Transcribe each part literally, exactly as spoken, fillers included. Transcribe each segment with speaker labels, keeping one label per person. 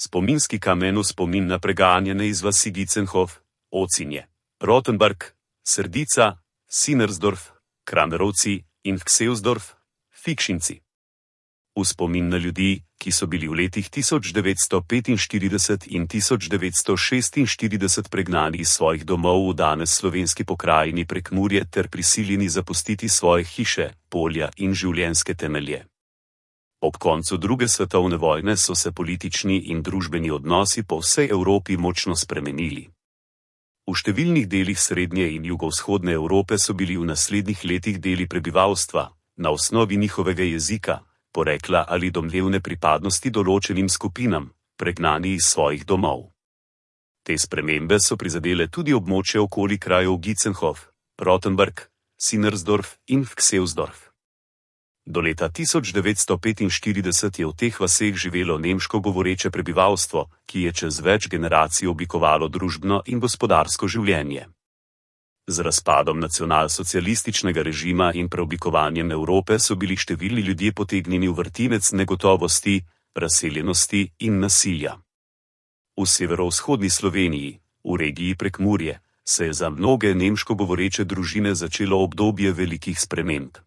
Speaker 1: Spominski kamen v spomin na preganjane iz vasi Gitzenhof, Ocinje, Rotenburg, Srdica, Sinersdorf, Kramerovci in Vksevsdorf, Fikšinci. V spomin na ljudi, ki so bili v letih tisoč devetsto petinštirideset in tisoč devetsto šestinštirideset pregnani iz svojih domov v danes slovenski pokrajini Prekmurje ter prisiljeni zapustiti svoje hiše, polja in življenjske temelje. Ob koncu druge svetovne vojne so se politični in družbeni odnosi po vsej Evropi močno spremenili. V številnih delih srednje in jugovzhodne Evrope so bili v naslednjih letih deli prebivalstva, na osnovi njihovega jezika, porekla ali domnevne pripadnosti določenim skupinam, pregnani iz svojih domov. Te spremembe so prizadele tudi območje okoli krajev Gitzenhof, Rotenburg, Sinersdorf in Vksevsdorf. Do leta tisoč devetsto petinštirideset je v teh vaseh živelo nemško govoreče prebivalstvo, ki je čez več generacij oblikovalo družbeno in gospodarsko življenje. Z razpadom nacionalsocialističnega režima in preoblikovanjem Evrope so bili številni ljudje potegnjeni v vrtinec negotovosti, razseljenosti in nasilja. V severovzhodni Sloveniji, v regiji Prekmurje, se je za mnoge nemško govoreče družine začelo obdobje velikih sprememb.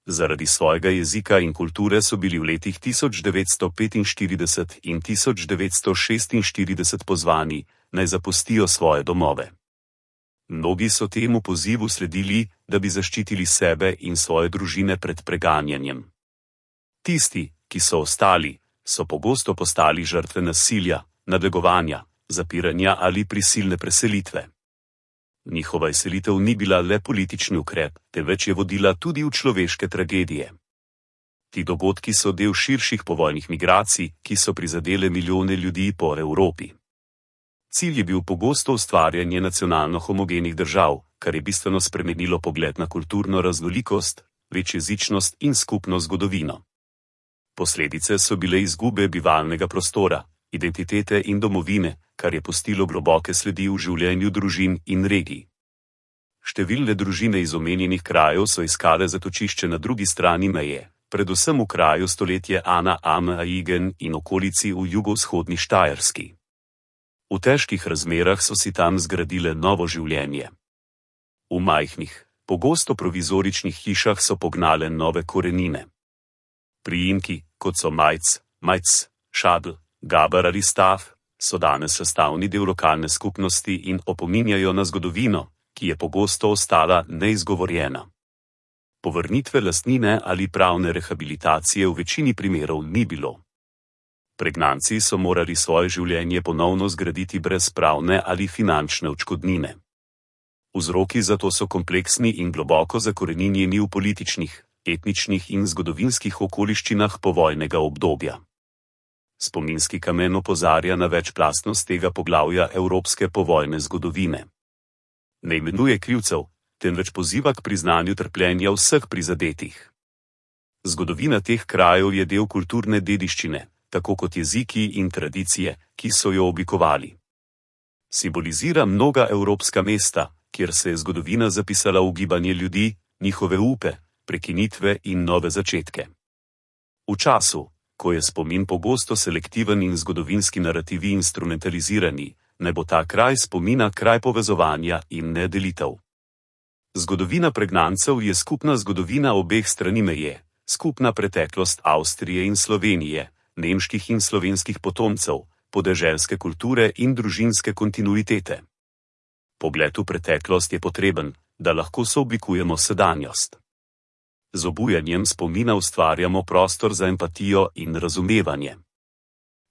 Speaker 1: Zaradi svojega jezika in kulture so bili v letih tisoč devetsto petinštirideset in tisoč devetsto šestinštirideset pozvani, naj zapustijo svoje domove. Mnogi so temu pozivu sledili, da bi zaščitili sebe in svoje družine pred preganjanjem. Tisti, ki so ostali, so pogosto postali žrtve nasilja, nadlegovanja, zapiranja ali prisilne preselitve. Njihova izselitev ni bila le politični ukrep, temveč je vodila tudi v človeške tragedije. Ti dogodki so del širših povojnih migracij, ki so prizadele milijone ljudi po Evropi. Cilj je bil pogosto ustvarjanje nacionalno homogenih držav, kar je bistveno spremenilo pogled na kulturno raznolikost, večjezičnost in skupno zgodovino. Posledice so bile izgube bivalnega prostora, identitete in domovine, kar je pustilo globoke sledi v življenju družin in regij. Številne družine iz omenjenih krajev so iskale zatočišče na drugi strani meje, predvsem v kraju stoletje Ana am Aigen in okolici v jugovzhodni Štajerski. V težkih razmerah so si tam zgradile novo življenje. V majhnih, pogosto provizoričnih hišah so pognale nove korenine. Priimki, kot so Majc, Majc, Šadl, Gaber ali Stav, so danes sestavni del lokalne skupnosti in opominjajo na zgodovino, ki je pogosto ostala neizgovorjena. Povrnitve lastnine ali pravne rehabilitacije v večini primerov ni bilo. Pregnanci so morali svoje življenje ponovno zgraditi brez pravne ali finančne odškodnine. Vzroki za to so kompleksni in globoko zakoreninjeni v političnih, etničnih in zgodovinskih okoliščinah povojnega obdobja. Spominski kamen opozarja na večplastnost tega poglavja evropske povojne zgodovine. Ne imenuje krivcev, temveč poziva k priznanju trpljenja vseh prizadetih. Zgodovina teh krajev je del kulturne dediščine, tako kot jeziki in tradicije, ki so jo oblikovali. Simbolizira mnoga evropska mesta, kjer se je zgodovina zapisala v gibanje ljudi, njihove upe, prekinitve in nove začetke. V času, ko je spomin pogosto selektiven in zgodovinski narativi instrumentalizirani, naj bo ta kraj spomina kraj povezovanja in ne delitev. Zgodovina pregnancev je skupna zgodovina obeh strani meje, skupna preteklost Avstrije in Slovenije, nemških in slovenskih potomcev, podeželske kulture in družinske kontinuitete. Pogled v preteklost je potreben, da lahko sooblikujemo sedanjost. Z obujanjem spomina ustvarjamo prostor za empatijo in razumevanje.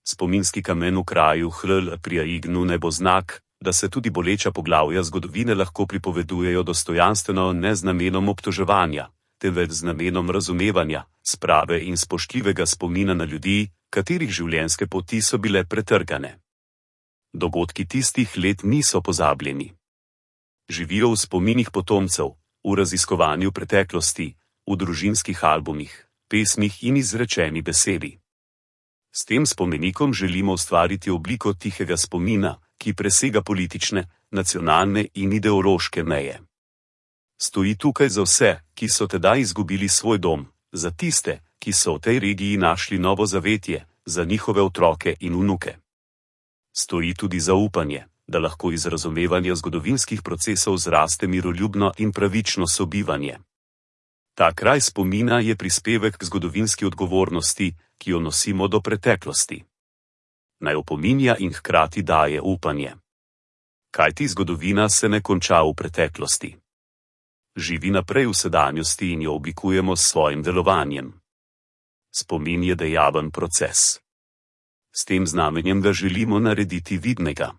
Speaker 1: Spominski kamen v kraju Hl pri Aignu ne bo znak, da se tudi boleča poglavja zgodovine lahko pripovedujejo dostojanstveno ne z namenom obtoževanja, temveč z namenom razumevanja, sprave in spoštljivega spomina na ljudi, katerih življenjske poti so bile pretrgane. Dogodki tistih let niso pozabljeni. Živijo v spominih potomcev, v raziskovanju preteklosti, v družinskih albumih, pesmih in izrečeni besedi. S tem spomenikom želimo ustvariti obliko tihega spomina, ki presega politične, nacionalne in ideološke meje. Stoji tukaj za vse, ki so tedaj izgubili svoj dom, za tiste, ki so v tej regiji našli novo zavetje, za njihove otroke in vnuke. Stoji tudi zaupanje, da lahko iz razumevanja zgodovinskih procesov zraste miroljubno in pravično sobivanje. Ta kraj spomina je prispevek k zgodovinski odgovornosti, ki jo nosimo do preteklosti. Naj opominja in hkrati daje upanje. Kajti zgodovina se ne konča v preteklosti. Živi naprej v sedanjosti in jo oblikujemo s svojim delovanjem. Spomin je dejaven proces. S tem znamenjem ga želimo narediti vidnega.